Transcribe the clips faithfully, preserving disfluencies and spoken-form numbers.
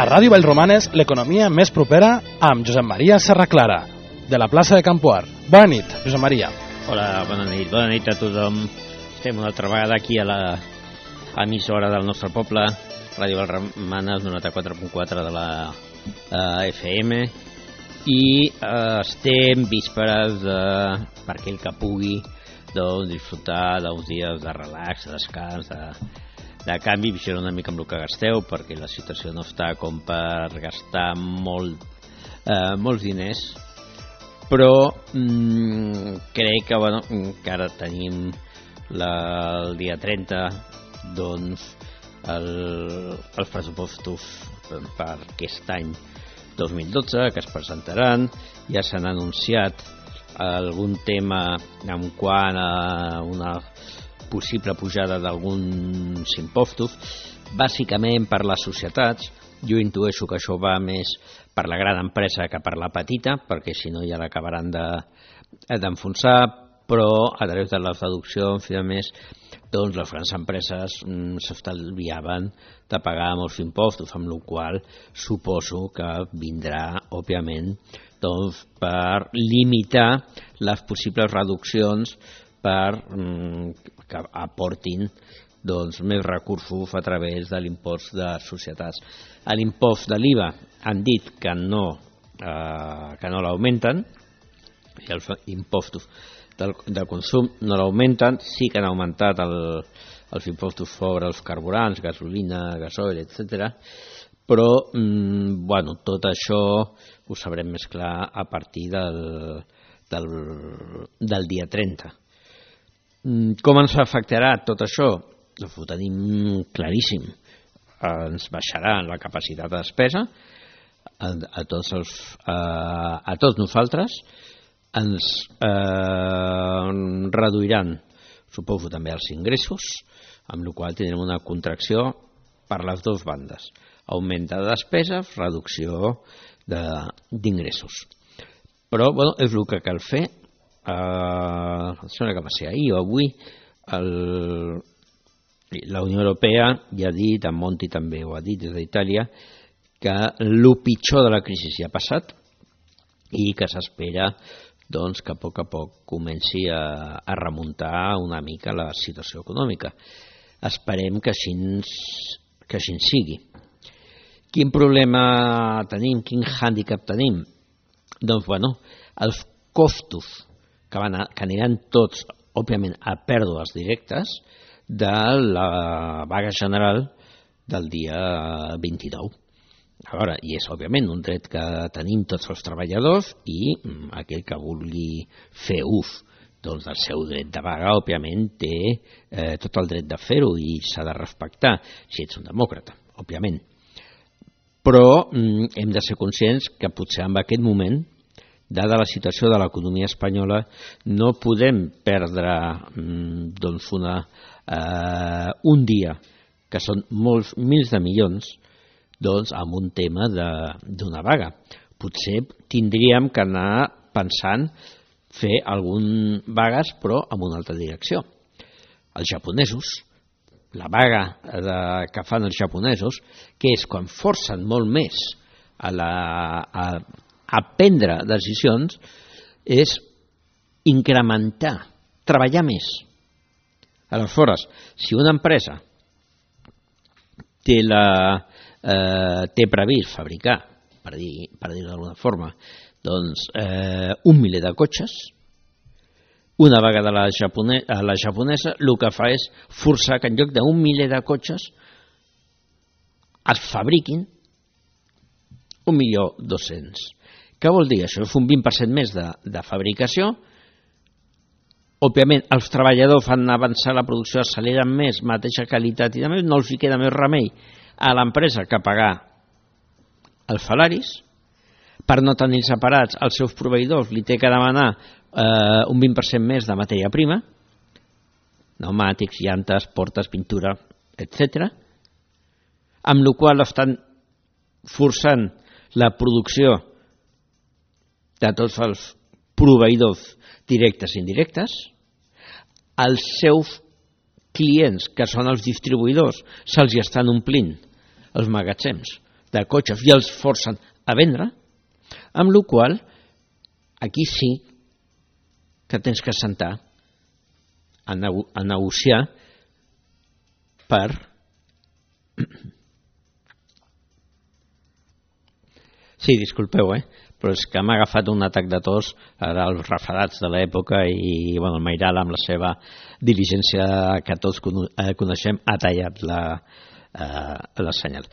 A Ràdio Vallromanes, l'economia més propera amb Josep Maria Serraclara, de la plaça de Campoar. Bona nit, Josep Maria. Hola, bona nit. Bona nit a tothom. Estem una altra vegada aquí a la emissora del nostre poble, Ràdio Vallromanes, noranta-quatre punt quatre de la uh, F M, i uh, estem vísperes de, per aquell que pugui, doncs, disfrutar d'uns dies de relax, de descans, de... de canvi, vigilar una mica amb el que gasteu, perquè la situació no està com per gastar molt, eh, molts diners, però mm, crec que, bueno, encara tenim la, el dia trenta, doncs, el, els pressupostos per aquest any dos mil dotze, que es presentaran. Ja s'han anunciat algun tema en quant a una possible pujada d'alguns impostos, bàsicament per les societats. Jo intueixo que això va més per la gran empresa que per la petita, perquè si no ja l'acabaran de, d'enfonsar, però a través de les deduccions, a més, doncs les grans empreses mm, s'estalviaven de pagar molts impostos, amb la qual suposo que vindrà, òbviament, doncs, per limitar les possibles reduccions per mm, que aportin, doncs, més recursos a través de l'impost de societats. A l'impost de l'I V A han dit que no, eh, que no l'augmenten, i els impostos del, del consum no l'augmenten. Sí que han augmentat el, els impostos sobre els carburants, gasolina, gasoil, etcètera. Però mm, bueno, tot això ho sabrem més clar a partir del, del, del dia trenta. Com ens afectarà tot això? Doncs ho tenim claríssim. Ens baixarà la capacitat de despesa a, a, tots, els, a, a tots nosaltres, ens eh, reduiran, suposo, també els ingressos, amb la qual tindrem una contracció per les dues bandes. Augment de despeses, reducció d'ingressos. Però bueno, és el que cal fer. Uh, sembla que va ser ahir o avui, el, la Unió Europea ja ha dit, en Monti també ho ha dit des d'Itàlia, que el pitjor de la crisi ja ha passat i que s'espera, doncs, que a poc a poc comenci a, a remuntar una mica la situació econòmica. Esperem que així, que així sigui. Quin problema tenim? Quin hàndicap tenim? Doncs, bueno, els costos que, van a, que aniran tots, òbviament, a pèrdues directes de la vaga general del dia vint-i-nou. A veure, i és, òbviament, un dret que tenim tots els treballadors i aquell que vulgui fer ús doncs, del seu dret de vaga, òbviament, té eh, tot el dret de fer-ho i s'ha de respectar, si ets un demòcrata, òbviament. Però mm, hem de ser conscients que potser en aquest moment, dada la situació de l'economia espanyola, no podem perdre doncs una, eh, un dia, que són molts mils de milions, doncs, amb un tema d'una vaga. Potser tindríem que anar pensant fer algunes vagues, però en una altra direcció. Els japonesos, la vaga de, que fan els japonesos, que és quan forcen molt més a la... A, a prendre decisions, és incrementar, treballar més. Aleshores, si una empresa té, la, eh, té previst fabricar, per dir, per dir d'alguna forma, doncs, eh, un miler de cotxes, una vaga de la, japone, la japonesa el que fa és forçar que en lloc d'un miler de cotxes es fabriquin un milió dos-cents. Què vol dir això? És un vint per cent més de, de fabricació. Òbviament, els treballadors fan avançar la producció, acceleren més, mateixa qualitat i més, no els hi queda més remei a l'empresa que pagar els salaris. Per no tenir separats els seus proveïdors, li té que demanar eh, un vint per cent més de matèria prima, pneumàtics, llantes, portes, pintura, etcètera, amb la qual estan forçant la producció de tots els proveïdors directes i indirectes. Els seus clients, que són els distribuïdors, se'ls estan omplint els magatzems de cotxes i els forcen a vendre, amb la qual aquí sí que tens que sentar a, nego a negociar per sí, disculpeu, eh? Però és que m'ha agafat un atac de tos dels refredats de l'època i bueno, el Mairal, amb la seva diligència que tots coneixem, ha tallat la, eh, la senyal.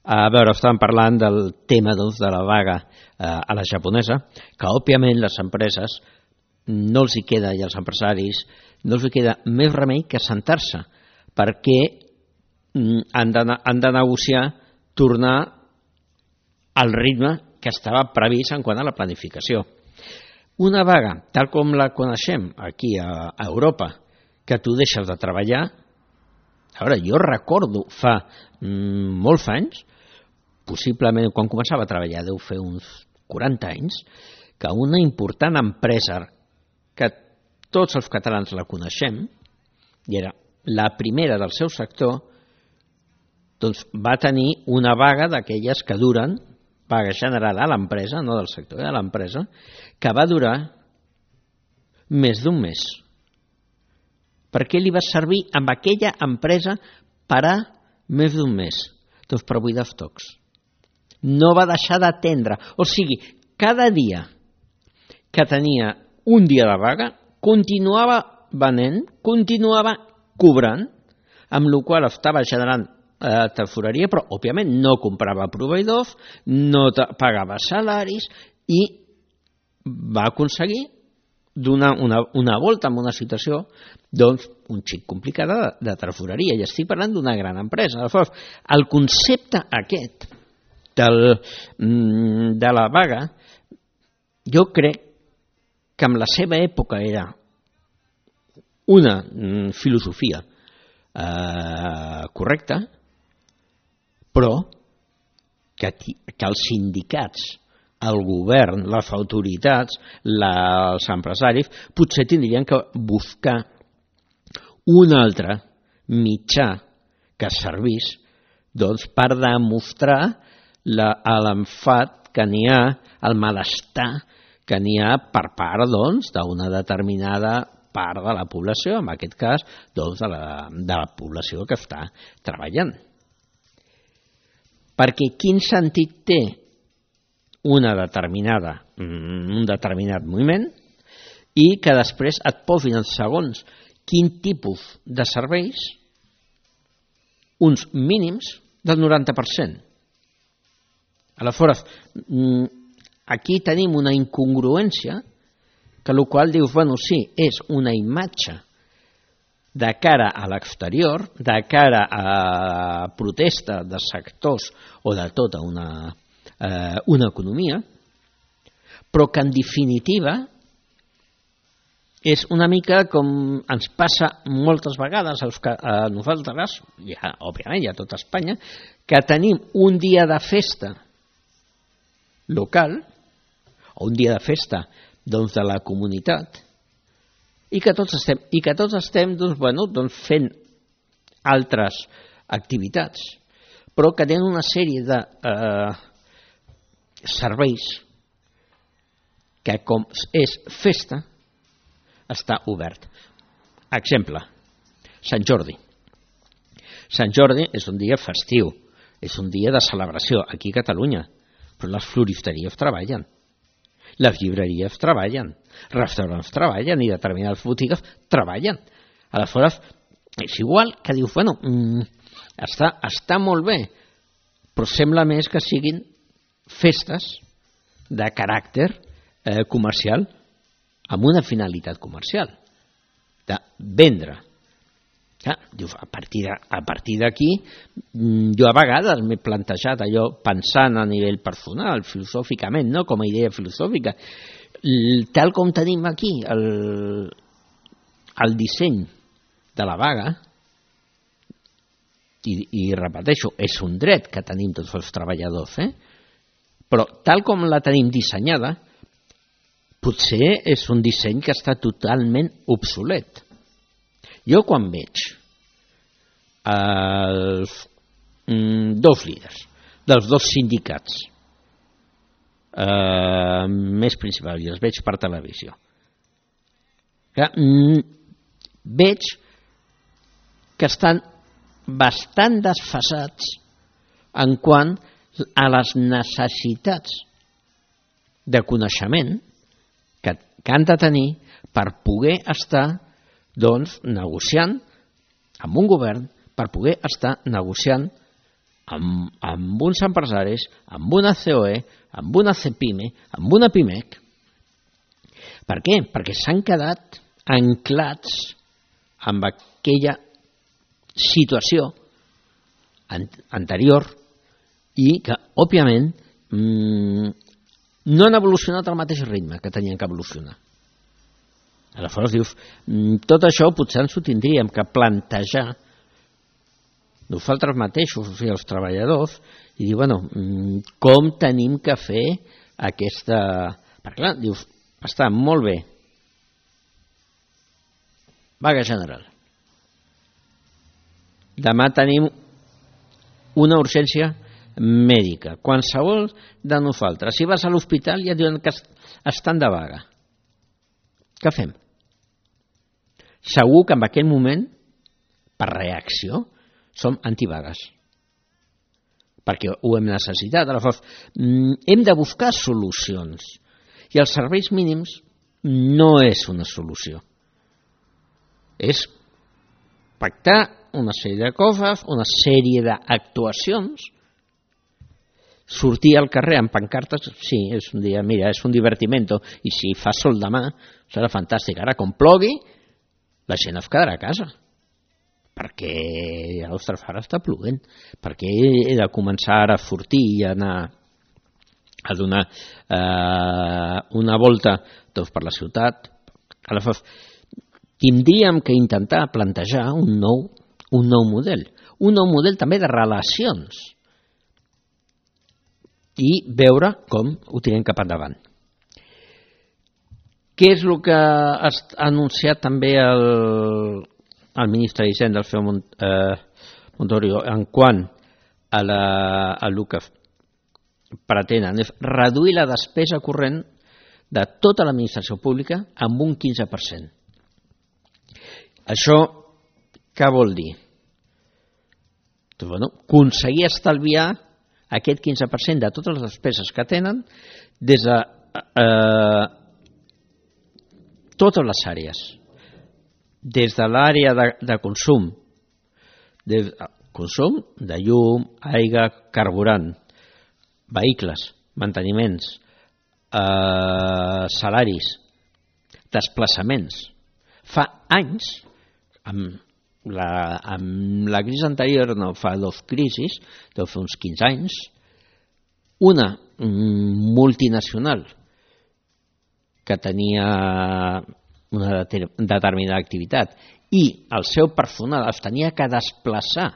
A veure, estàvem parlant del tema doncs, de la vaga eh, a la japonesa, que òbviament les empreses no els hi queda, i els empresaris no els hi queda més remei que sentar-se, perquè han de, han de negociar tornar al ritme que estava previst en quant a la planificació. Una vaga, tal com la coneixem aquí a, a Europa, que tu deixes de treballar, a veure, jo recordo fa mm, molts anys, possiblement quan començava a treballar, deu fer uns quaranta anys, que una important empresa que tots els catalans la coneixem, i era la primera del seu sector, doncs va tenir una vaga d'aquelles que duren, vaga general a l'empresa, no del sector, de l'empresa, que va durar més d'un mes. Per què li va servir amb aquella empresa parar més d'un mes? Doncs per buidar estocs. No va deixar d'atendre. O sigui, cada dia que tenia un dia de vaga, continuava venent, continuava cobrant, amb la qual estava generant eh, tesoreria, però òbviament no comprava proveïdors, no pagava salaris i va aconseguir donar una, una volta en una situació doncs, un xic complicada de, de tresoreria. I estic parlant d'una gran empresa. Aleshores, el concepte aquest del, de la vaga, jo crec que en la seva època era una filosofia eh, correcta, però que, que els sindicats, el govern, les autoritats, la, els empresaris, potser tindrien que buscar un altre mitjà que servís doncs, per demostrar l'enfat que n'hi ha, el malestar que n'hi ha per part doncs, d'una determinada part de la població, en aquest cas doncs, de, la, de la població que està treballant. Perquè quin sentit té una determinada, un determinat moviment i que després et posin en segons quin tipus de serveis uns mínims del noranta per cent. Aleshores, aquí tenim una incongruència que el qual dius, bueno, sí, és una imatge de cara a l'exterior, de cara a protesta de sectors o de tota una, eh, una economia, però que en definitiva és una mica com ens passa moltes vegades a nosaltres, ja, òbviament, ja a tot Espanya, que tenim un dia de festa local, o un dia de festa doncs, de la comunitat, i que tots estem, i que tots estem doncs, bueno, doncs, fent altres activitats, però que tenen una sèrie de eh, serveis que, com és festa, està obert. Exemple, Sant Jordi. Sant Jordi és un dia festiu, és un dia de celebració aquí a Catalunya, però les floristeries treballen, les llibreries treballen, restaurants treballen i determinades botigues treballen. Aleshores, és igual que dius, bueno, mm, està, està molt bé, però sembla més que siguin festes de caràcter eh, comercial amb una finalitat comercial, de vendre. Ja, a partir d'aquí, jo a vegades m'he plantejat allò pensant a nivell personal, filosòficament, no com a idea filosòfica, tal com tenim aquí el, el disseny de la vaga, i, i repeteixo, és un dret que tenim tots els treballadors, eh? Però tal com la tenim dissenyada, potser és un disseny que està totalment obsolet. Jo quan veig els mm, dos líders dels dos sindicats eh, més principals, i els veig per televisió. Que, mm, veig que estan bastant desfasats en quant a les necessitats de coneixement que, que han de tenir per poder estar doncs, negociant amb un govern, per poder estar negociant amb, amb uns empresaris, amb una C O E, amb una CEPIME, amb una PIMEC. Per què? Perquè s'han quedat anclats amb aquella situació anterior i que, òbviament, mmm, no han evolucionat al mateix ritme que tenien que evolucionar. Aleshores dius, tot això potser ens ho tindríem que plantejar nosaltres mateixos, o sigui, els treballadors, i dir, bueno, com tenim que fer aquesta... Perquè clar, dius, està molt bé. Vaga general. Demà tenim una urgència mèdica. Qualsevol de nosaltres, si vas a l'hospital ja diuen que estan de vaga. Què fem? Segur que en aquell moment, per reacció, som antivagues. Perquè ho hem necessitat. Aleshores, hem de buscar solucions. I els serveis mínims no és una solució. És pactar una sèrie de coses, una sèrie d'actuacions, sortir al carrer amb pancartes, sí, és un dia, mira, és un divertimento, i si fa sol demà, serà fantàstic. Ara, com plogui, la gent es quedarà a casa, perquè a l'Ostrafara està plovent, perquè he de començar ara a sortir i anar a donar eh, una volta doncs, per la ciutat. Aleshores, tindríem que intentar plantejar un nou, un nou model, un nou model també de relacions i veure com ho tirem cap endavant. Què és el que ha anunciat també el, el ministre d'Hisenda, el senyor Montoro, en quant a, la, a el que pretenen és reduir la despesa corrent de tota l'administració pública amb un quinze per cent. Això què vol dir? Doncs, bueno, aconseguir estalviar aquest quinze per cent de totes les despeses que tenen des de eh, totes les àrees, des de l'àrea de, de consum, de consum de llum, aigua, carburant, vehicles, manteniments, eh, salaris, desplaçaments. Fa anys, amb la, amb la crisi anterior, no fa dos crisis, deu fer uns quinze anys, una multinacional que tenia una determinada activitat i el seu personal es tenia que desplaçar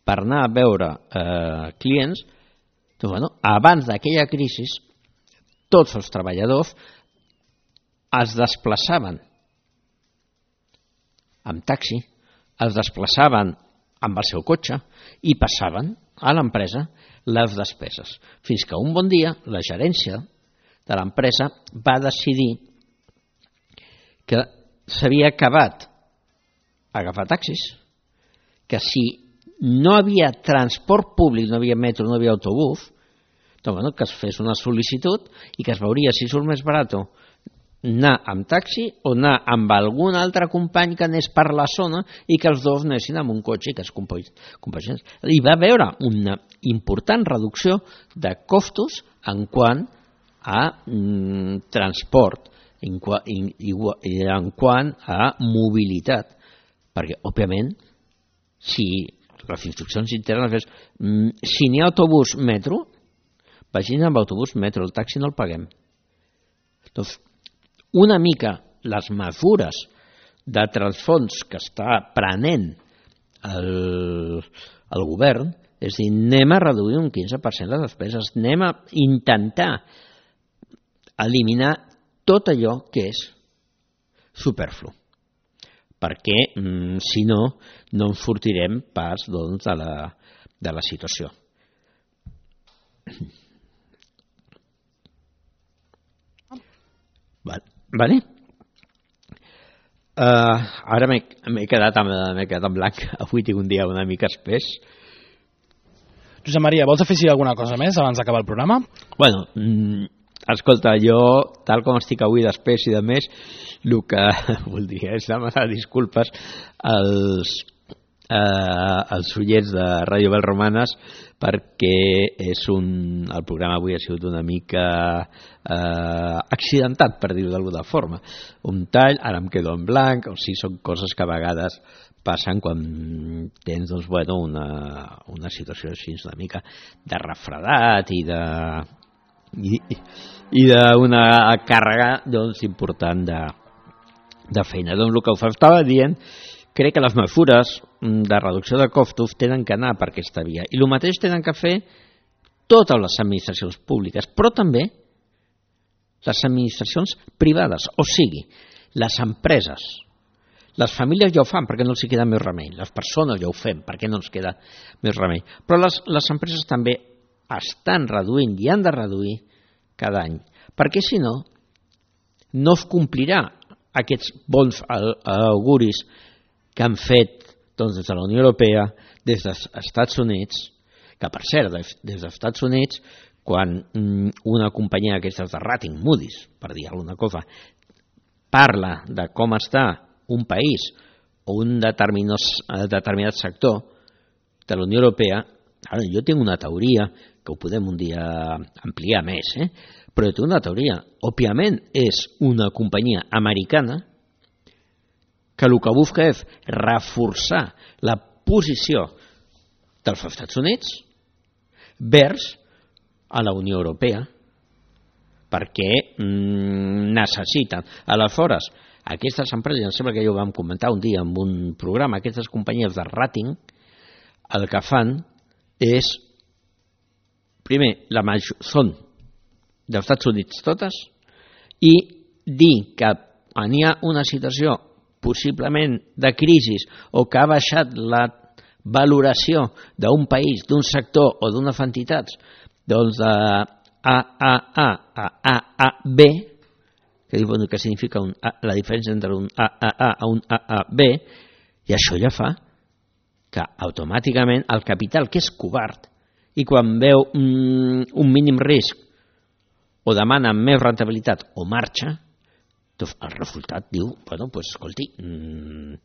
per anar a veure eh, clients, doncs, bueno, abans d'aquella crisi tots els treballadors es desplaçaven amb taxi, es desplaçaven amb el seu cotxe i passaven a l'empresa les despeses. Fins que un bon dia la gerència de l'empresa va decidir que s'havia acabat agafar taxis, que si no havia transport públic, no havia metro, no havia autobús, doncs, bueno, que es fes una sol·licitud i que es veuria si surt més barat anar amb taxi o anar amb algun altre company que anés per la zona i que els dos anessin amb un cotxe i que es compaginés. Hi va haver una important reducció de costos en quant a mm, transport, en, en, en quant a mobilitat, perquè, òbviament, si les instruccions internes és mm, si n'hi ha autobús metro, vagin amb autobús metro, el taxi no el paguem. Doncs, una mica les mesures de transfons que està prenent el, el govern, és a dir, anem a reduir un quinze per cent les despeses, anem a intentar eliminar tot allò que és superflu, perquè mm, si no, no en sortirem pas doncs, de, la, de la situació. Vale. Vale. Uh, ara m'he quedat, quedat en blanc. Avui tinc un dia una mica espès. Josep Maria, vols afegir alguna cosa més abans d'acabar el programa? Bueno, mm, escolta, jo, tal com estic avui d'espès i de més, el que voldria és demanar disculpes als, eh, als ullets de Ràdio Belromanes, perquè és un, el programa avui ha sigut una mica eh, accidentat, per dir-ho d'alguna forma. Un tall, ara em quedo en blanc, o sigui, són coses que a vegades passen quan tens, doncs, bueno, una, una situació així una mica de refredat i de i, i d'una càrrega, doncs, important de, de feina. Doncs el que us estava dient, crec que les mesures de reducció de costos tenen que anar per aquesta via. I el mateix tenen que fer totes les administracions públiques, però també les administracions privades, o sigui, les empreses. Les famílies ja ho fan perquè no els queda més remei. Les persones ja ho fem perquè no ens queda més remei. Però les, les empreses també estan reduint i han de reduir cada any, perquè si no, no es complirà aquests bons auguris que han fet, doncs, des de la Unió Europea, des dels Estats Units, que per cert, des dels Estats Units, quan una companyia d'aquestes de rating, Moody's, per dir alguna cosa, parla de com està un país o un determinat, determinat sector de la Unió Europea, ara jo tinc una teoria, que ho podem un dia ampliar més, eh? però jo tinc una teoria. Òbviament és una companyia americana que el que busca és reforçar la posició dels Estats Units vers a la Unió Europea, perquè mm, necessiten. Aleshores, aquestes empreses, em sembla que ja ho vam comentar un dia en un programa, aquestes companyies de rating, el que fan és, primer, la major, són dels Estats Units totes, i dir que hi ha una situació possiblement de crisi o que ha baixat la valoració d'un país, d'un sector o d'unes entitats, doncs de A A A a A A B, que diu bueno, que significa un A, la diferència entre un A A A a un A A B, i això ja fa que automàticament el capital, que és covard, i quan veu mm, un mínim risc o demana més rentabilitat o marxa, doncs el resultat diu, bueno, doncs escolti, mm,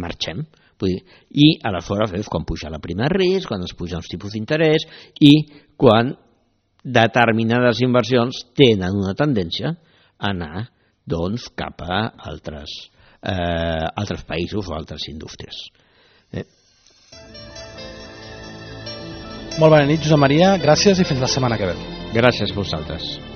marxem. Vull dir, i aleshores és quan puja la prima de risc, quan es pugen els tipus d'interès i quan determinades inversions tenen una tendència a anar doncs, cap a altres, eh, altres països o altres indústries. Eh? Molt bona nit, Josep Maria, gràcies i fins la setmana que ve. Gràcies a vosaltres.